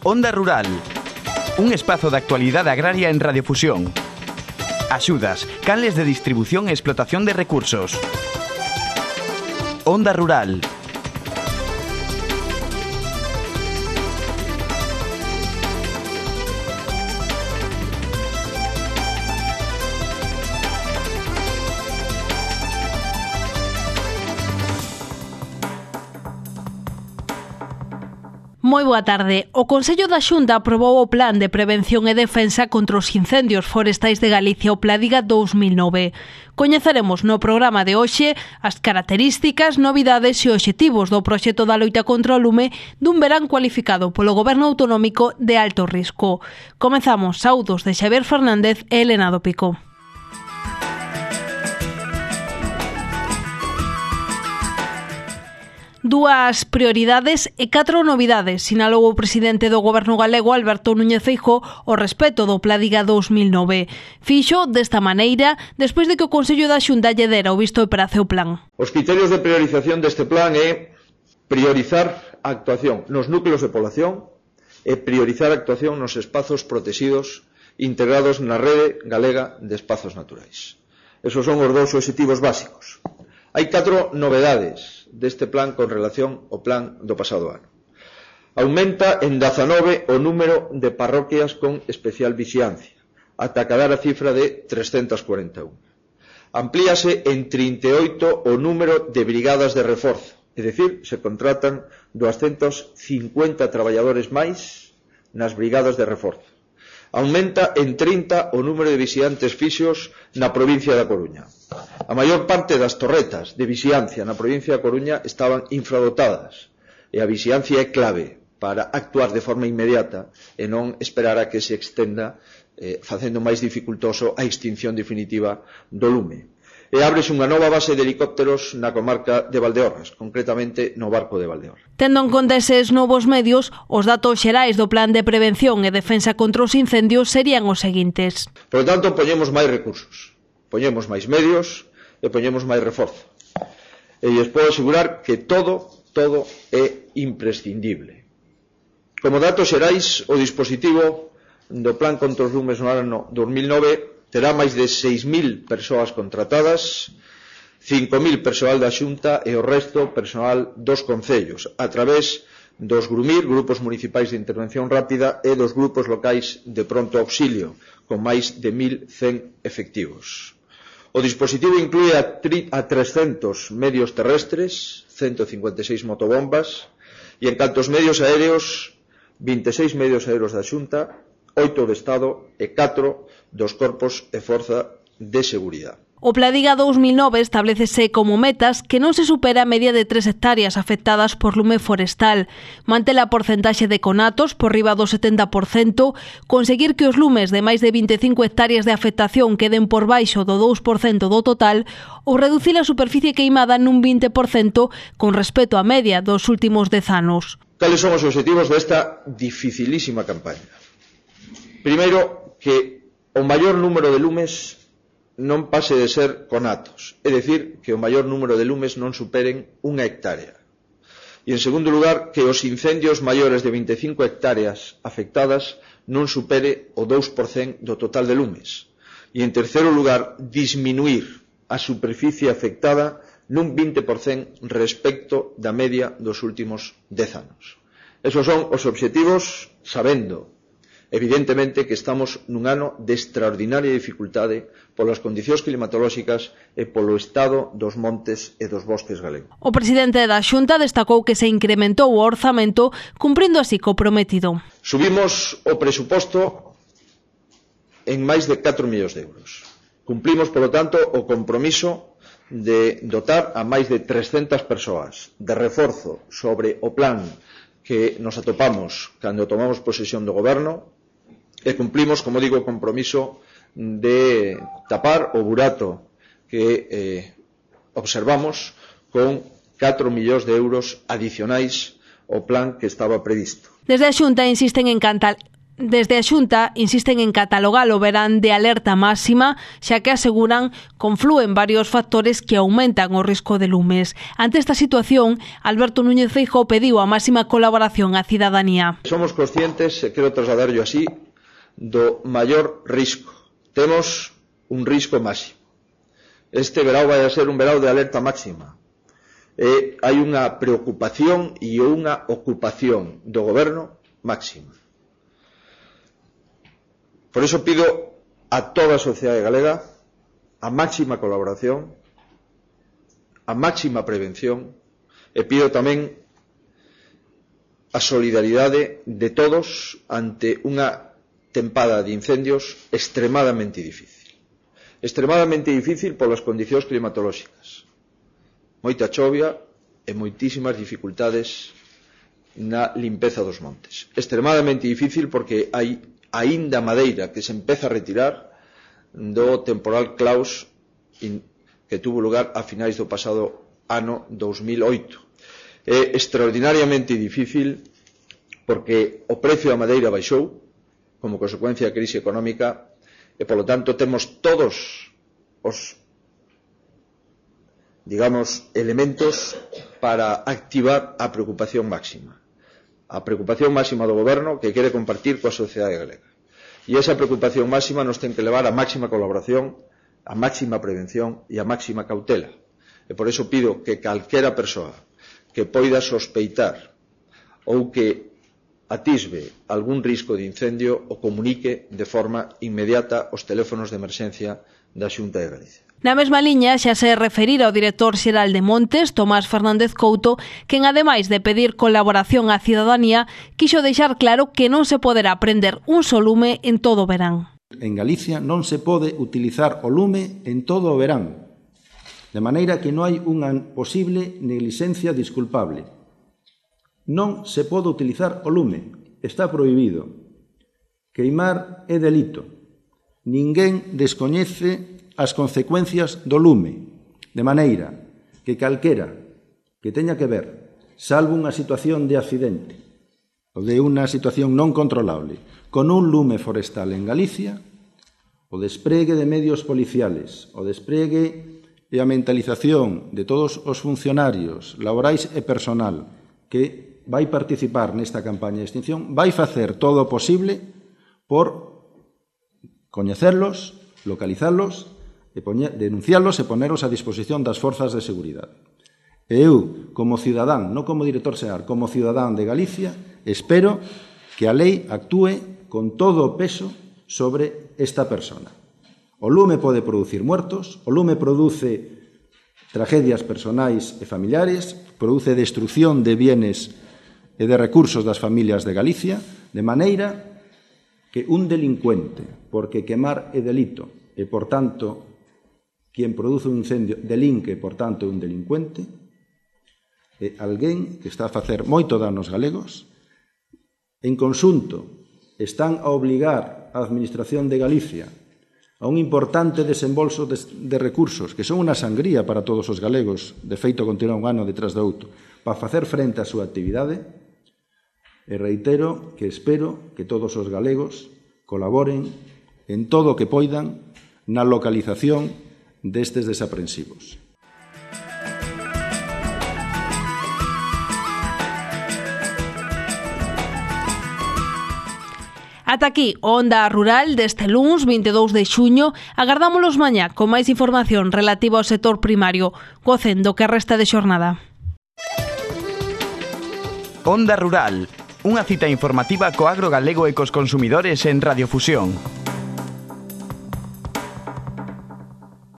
Onda Rural, un espazo de actualidade agraria en Radiofusión. Axudas, canles de distribución e explotación de recursos. Onda Rural. Moi boa tarde. O Consello da Xunta aprobou o Plan de Prevención e Defensa contra os Incendios Forestais de Galicia, o Pladiga 2009. Coñeceremos no programa de hoxe as características, novidades e obxectivos do proxecto da loita contra o lume dun verán cualificado polo Goberno Autonómico de alto risco. Comezamos. Saúdos de Xavier Fernández e Elena do Pico. Dúas prioridades e 4 novidades, sinalou o presidente do Goberno galego, Alberto Núñez Feijóo, ao respecto do Pladiga 2009. Fixo desta maneira despois de que o Consello da Xunta lle dera o visto para o plan. Os criterios de priorización deste plan é priorizar a actuación nos núcleos de población e priorizar a actuación nos espazos protegidos integrados na rede galega de espazos naturais. Esos son os dous obxectivos básicos. Hai 4 novedades deste plan con relación ao plan do pasado ano. Aumenta en 19 o número de parroquias con especial vixiancia, ata cadar a cifra de 341. Amplíase en 38 o número de brigadas de reforzo, é dicir, se contratan 250 traballadores máis nas brigadas de reforzo. Aumenta en 30 o número de vixiantes fixos na provincia da Coruña. A maior parte das torretas de vixiancia na provincia da Coruña estaban infradotadas e a vixiancia é clave para actuar de forma inmediata e non esperar a que se extenda facendo máis dificultoso a extinción definitiva do lume. E ábrese unha nova base de helicópteros na comarca de Valdeorras, concretamente no Barco de Valdeorras. Tendo en conta eses novos medios, os datos xerais do Plan de Prevención e Defensa contra os Incendios serían os seguintes. Por lo tanto, poñemos máis recursos, poñemos máis medios e poñemos máis reforzo. E lles podo asegurar que todo é imprescindible. Como datos xerais, o dispositivo do Plan contra os lumes no ano 2009 terá máis de 6.000 persoas contratadas, 5.000 persoal da Xunta e o resto personal dos concellos, a través dos GRUMIR, Grupos Municipais de Intervención Rápida, e dos grupos locais de pronto auxilio, con máis de 1.100 efectivos. O dispositivo inclúe a 300 medios terrestres, 156 motobombas, e en canto aos medios aéreos, 26 medios aéreos da Xunta, 8 do Estado e 4 dos corpos e forza de seguridade. O Pladiga 2009 establecese como metas que non se supera a media de 3 hectáreas afectadas por lume forestal, manter a porcentaxe de conatos por riba do 70%, conseguir que os lumes de máis de 25 hectáreas de afectación queden por baixo do 2% do total ou reducir a superficie queimada nun 20% con respecto á media dos últimos 10 anos. Cales son os obxectivos desta dificilísima campaña? Primeiro, que o maior número de lumes non pase de ser conatos, é dicir, que o maior número de lumes non superen 1 hectárea. E, en segundo lugar, que os incendios maiores de 25 hectáreas afectadas non supere o 2% do total de lumes. E, en terceiro lugar, disminuir a superficie afectada nun 20% respecto da media dos últimos 10 anos. Esos son os obxectivos, sabendo evidentemente que estamos nun ano de extraordinaria dificultade polas condicións climatolóxicas e polo estado dos montes e dos bosques galegos. O presidente da Xunta destacou que se incrementou o orzamento, cumprindo así co prometido. Subimos o presuposto en máis de 4 millóns de euros. Cumplimos, polo tanto, o compromiso de dotar a máis de 300 persoas de reforzo sobre o plan que nos atopamos cando tomamos posesión do goberno, e cumplimos, como digo, o compromiso de tapar o burato que observamos con 4 millóns de euros adicionais ao plan que estaba previsto. Desde a Xunta insisten en Desde a Xunta insisten en catalogar o verán de alerta máxima, xa que aseguran conflúen varios factores que aumentan o risco de lumes. Ante esta situación, Alberto Núñez Feijóo pediu a máxima colaboración á cidadanía. Somos conscientes, e quero trasladarlo así, do maior risco. Temos un risco máximo. Este verão vai a ser un verão de alerta máxima. Hai unha preocupación e unha ocupación do goberno máxima. Por iso pido a toda a sociedade galega a máxima colaboración, a máxima prevención, e pido tamén a solidaridade de todos ante unha tempada de incendios extremadamente difícil. Extremadamente difícil polas condicións climatolóxicas. Moita chovia e moitísimas dificultades na limpeza dos montes. Extremadamente difícil porque hai aínda madeira que se empeza a retirar do temporal Klaus que tuvo lugar a finais do pasado ano 2008. É extraordinariamente difícil porque o precio da madeira baixou como consecuencia da crise económica e, polo tanto, temos todos os, digamos, elementos para activar a preocupación máxima. A preocupación máxima do goberno que quere compartir coa sociedade galega. E esa preocupación máxima nos ten que levar a máxima colaboración, a máxima prevención e a máxima cautela. E por iso pido que calquera persoa que poida sospeitar ou que atisbe algún risco de incendio o comunique de forma inmediata aos teléfonos de emerxencia da Xunta de Galicia. Na mesma liña xa se referira ao director xeral de Montes, Tomás Fernández Couto, quen ademais de pedir colaboración á cidadanía, quixo deixar claro que non se poderá prender un só lume en todo o verán. En Galicia non se pode utilizar o lume en todo o verán, de maneira que non hai unha posible neglixencia disculpable. Non se pode utilizar o lume, está prohibido. Queimar é delito. Ninguén descoñece as consecuencias do lume, de maneira que calquera que teña que ver, salvo unha situación de accidente ou de unha situación non controlable, con un lume forestal en Galicia, o despregue de medios policiales, o despregue e a mentalización de todos os funcionarios laborais e personal que vai participar nesta campaña de extinción, vai facer todo o posible por coñecerlos, localizarlos, denunciarlos e ponerlos a disposición das forzas de seguridade. E eu, como cidadán, non como director xeral, como cidadán de Galicia, espero que a lei actúe con todo o peso sobre esta persona. O lume pode producir muertos, o lume produce tragedias personais e familiares, produce destrucción de bienes e de recursos das familias de Galicia, de maneira que un delincuente, porque quemar é delito, e, por tanto, quien produce un incendio delinque, por tanto, é un delincuente, é alguén que está a facer moito dano aos galegos. En conxunto, están a obligar a Administración de Galicia a un importante desembolso de recursos, que son unha sangría para todos os galegos, de feito continua un ano detrás do outro, para facer frente á súa actividade. E reitero que espero que todos os galegos colaboren en todo o que poidan na localización destes desaprensivos. Ata aquí, Onda Rural deste luns 22 de xuño. Agardámolos mañá con máis información relativa ao sector primario. Gocen do que resta de xornada. Onda Rural, unha cita informativa co agro galego e cos consumidores en Radiofusión.